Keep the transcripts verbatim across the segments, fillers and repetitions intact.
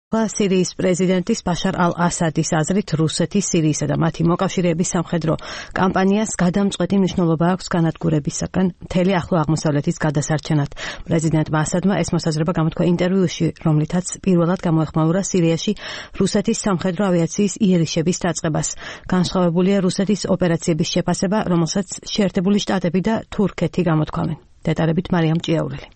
სირიის პრეზიდენტის ბაშარ ალ-ასადის აზრით რუსეთის, სირიისა და მათი მოკავშირეების სამხედრო კამპანიას გადამწყვეტი მნიშვნელობა აქვს განადგურებისაგან მთელი ახლო აღმოსავლეთის გადასარჩენად. პრეზიდენტმა ასადმა ეს მოსაზრება გამოთქვა ინტერვიუში, რომლითაც პირველად გამოეხმაურა სირიაში რუსეთის სამხედრო ავიაციის იერიშების დაწყებას. განსხვავებულია რუსეთის ოპერაციების შეფასება, რომელსაც შეერთებული შტატები და თურქეთი გამოთქვამენ. დეტალებით მარიამ ჭიაურელი.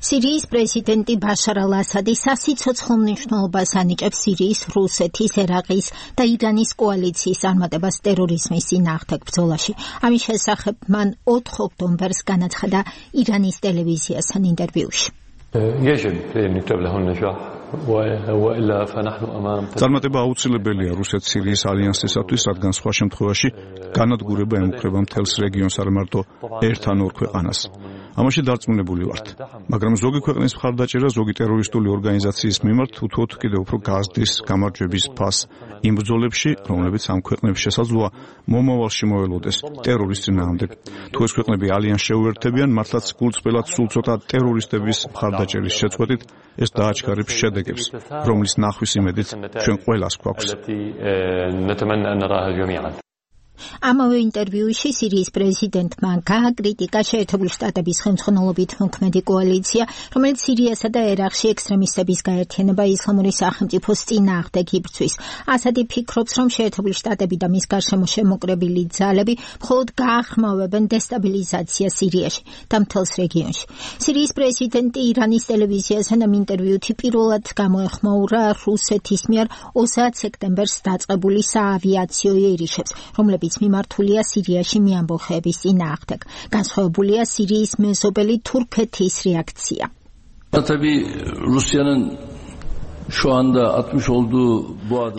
სირიის პრეზიდენტი ბაშარ ალ-ასადი სასიცოცხლო მნიშვნელობას ანიჭებს სირიის, რუსეთის, ერაყის და ირანის კოალიციის წარმატებას ტერორიზმის წინააღმდეგ ბრძოლაში. ამის შესახებ მან ოთხ ოქტომბერს განაცხადა ირანის ტელევიზიასთან ინტერვიუში. წარმატება აუცილებელია რუსეთ-სირიის ალიანსისათვის, რადგან სხვა შემთხვევაში განადგურება ემუქრება მთელს რეგიონს, არ მარტო ერთ ან ორ ქვეყანას. ამაში დარწმუნებული ვართ, მაგრამ ზოგი ქვეყნის მხარდაჭერა ზოგი ტერორისტული ორგანიზაციის მიმართ უთუოდ კიდევ უფრო გაზრდის გამარჯვების ფასს იმ ბრძოლებში, რომლებიც ამ ქვეყნებს შესაძლოა მომავალში მოელოდეს ტერორის წინააღმდეგ. თუ ეს ქვეყნები ალიანსს შეუერთებიან, მართლაც გულწრფელად სულ ცოტა ტერორისტების მხარდაჭერის შეწყვეტით ეს დააჩქარებს შედეგებს, რომლის ნახვის იმედით ჩვენ ყველას გვაქვს. ამავე ინტერვიუში სირიის პრეზიდენტმა გააკრიტიკა შეერთებული შტატების ხელმძღვანელობით მოქმედი კოალიცია, რომელიც სირიასა და ერაყში ექსტრემისტების გაერთიანება ისლამური სახელმწიფოს წინააღმდეგ იბრძვის. ასადი ფიქრობს, რომ შეერთებული შტატები და მის გარშემო შემოკრებილი ძალები მხოლოდ გაახმავებენ დესტაბილიზაციას სირიაში და მთელს რეგიონში. სირიის პრეზიდენტი ირანის ტელევიზიასთან ამ ინტერვიუთი პირველად გამოეხმაურა რუსეთის მიერ ოცდაათ სექტემბერს დაწყებული საავიაციო იერიშებს, რომლებიც მიმართულია სირიაში მეამბოხეების წინააღმდეგ. განსხვავებულია სირიის მეზობელი თურქეთის რეაქცია.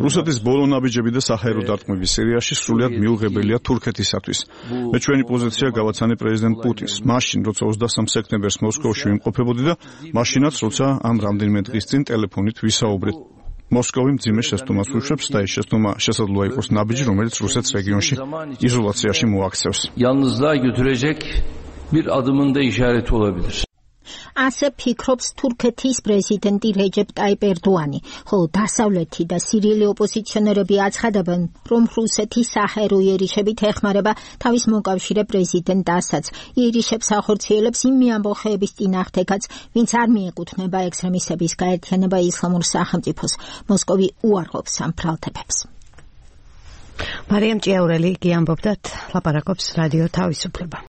რუსეთის ბოლო ნაბიჯები და საჰაერო დარტყმები სირიაში სრულიად მიუღებელია თურქეთისათვის. მე ჩვენი პოზიცია გავაცანე პრეზიდენტ პუტინს. მაშინ, როცა ოცდასამ სექტემბერს მოსკოვში ვიმყოფებოდი და მაშინაც, როცა ამ რამდენიმე დღის წინ ტელეფონით ვისაუბრეთ. მოსკოვი მძიმე შეცდომას უშვებს და ეს შეცდომა შესაძლოა იყოს ნაბიჯი, რომელიც რუსეთს რეგიონში იზოლაციაში მოაქცევს. ასე ფიქრობს თურქეთის პრეზიდენტი რეჯეპ ტაიპ ერდოანი, ხოლო დასავლეთი და სირიელი ოპოზიციონერები აცხადებენ, რომ რუსეთი საჰაერო იერიშებით ეხმარება თავის მოკავშირე პრეზიდენტ ასადს. იერიშებს ახორციელებს იმ მეამბოხეების წინააღმდეგაც, ვინც არ მიეკუთვნება ექსტრემისტების გაერთიანება ისლამურ სახელმწიფოს. მოსკოვი უარყოფს ამ ბრალდებებს. მარიამ ჭიაურელი კი ამბობდა, ლაპარაკობს რადიო თავისუფლება.